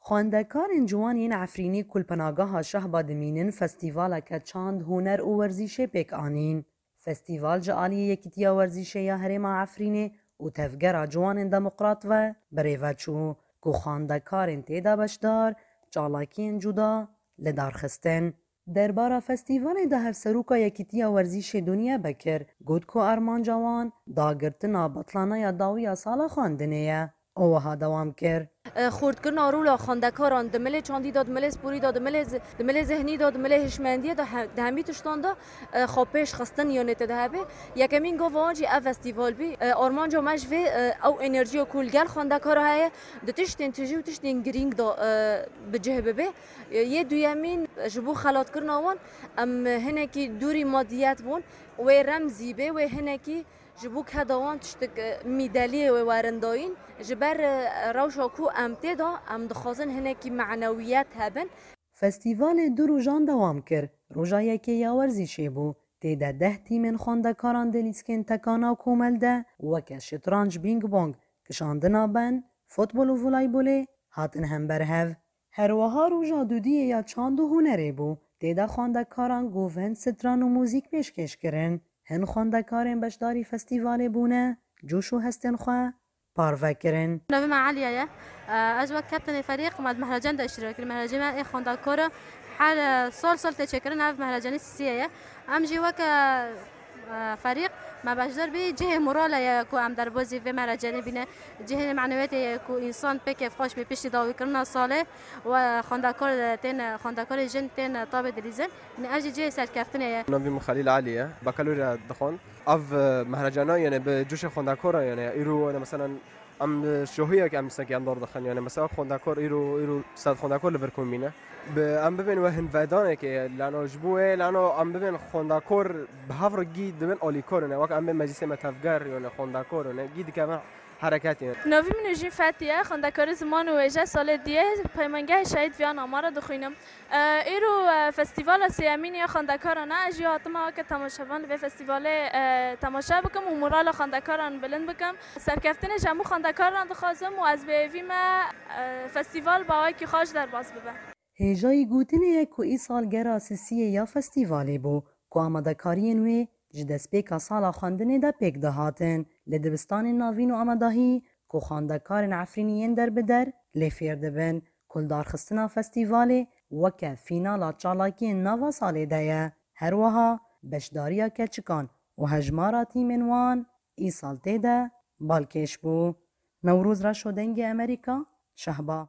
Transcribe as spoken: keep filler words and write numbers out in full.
Xwendekarên ciwan yên Efrînî ku li Penageha Şehba dimînin, festîvaleke çand, huner û werzîşê pêk anîn. Festîval ji aliyê Yekîtiya Werzîşê ya Herêma Efrînê û Tevgera Ciwanên Demokrat ve birêve çû, ku xwendekarên tê de beşdar çalakiyên cuda li dar xistin. Derbara festîvalê de Hevseroka Yekîtiya Werzîşê Duniye Bekir got ku armanca wan dagirtina betlaneya dawî ya sala xwendinê ye. Û wiha dewam kir. Xurtkirina rola xwendekaran di milê çandî de, di milê sporî de, di milê zi-, di milê zihnî de, di milê hişmendiyê de, he-, di hemî tiştan de, e, xwe pêş xistin yanê tê de hebe. Yekemîn gava wan jî ev festîval bî. E, armanca me ji vê, e, ew enerjiya ku li gel xwendekara heye, di tiştên tijî û tiştên girîng de, e, bi cih bibe. E, yê duyemîn ji bo xelatkirina wan, em hinekî dûrî madiyet bûn, wê remzî bê, wê hinekî ji bo keda wan tiştik, e, mîdeliyê wê werin dayîn. Ji ber, e, rewşa ku em tê de, em dixwazin hinekî menewiyet hebin. Festîvalê du rojan dewam kir. Roja yekê ya werzîşê bû. Tê de deh tîmên xwendekaran di lîskên tekana komel de weke şitranc, bîng bong, kişandina ben, futbol û voleybolê hatin hember hev. Her wiha roja dudiyê ya çand û hunerê bû. Tê de xwendekaran govend, stran û muzîk pêşkêş kirin. Hin xwendekarên beşdarî festîvalê bûne, coş û hestên xwe parve kirin. Navê me Eliye ye. Ez wek kaptenê ferîq me di mehrecen de îştirak kirin. Mehrecê me ê xwendekar e. Her, e, sal sal tê çêkirin, ev mehrecenî sisiye ye. Em jî weke, e, ferîq me beşdar bî. Cihê morale ye ku em derbazî vê mehrecenê bîne. Cihê menewiyetê ye ku însan pê kêfxweş bî piştî dawîkirina salê û xwendekar tên, xwendekarê jin tên tabê dilîzin. Yanî ev jî cihê serkeftinê ye. Navê min Xelîl Elî ye. Bakalorya dixwend. Ev, e, mehrecana, yani, bi coşê xwendekaran, yani, îro, yani, meselen, em, e, şohiyek em sanki em dar dixin, yani, mesela, xwendekar îro, îro sed xwendekar li vir komîne. Bi, em bibên wê hin vedanekê, lano ji bo wê, lano em bibên xwendekar bi hev re gî dibin alîkar, yani, wek em bên meclisê me tevger, yani, xwendekar, yani, gî dikevin hereketê. Navî min Nujîn Fetî ye, xwendekarê ziman û wêje salê diyê Peymangehê Şehîd Viyan Amara dixwînim. E, îro, e, festîvala sêyemîn ya xwendekaran e. Ez jî hatime weke temaşevan li vê festîvalê, e, temaşe bikim û morala xwendekaran bilind bikim. Serkeftinê ji hemû xwendekaran dixwazim û ez bi hêvî me, e, festîval bi awayekî xweş derbas bibe. Hêjayî gotinê ye ku îsal gera sisiyê ya festîvalê bû, ku amadekariyên wê ji destpêka sala xwendinê de pêk dihatin. Li dibistanên navîn û amadahî ku xwendekarên Efrînî yên derbider lê fêr dibin, ku li darxistina festîvalê weke fînala çalakiyên nava salê de ye. Her wiha beşdariya keçikan û hejmara tîmên wan îsal tê de balkêş bû. Newroz Reşo, Dengê Amerîka, Şehba.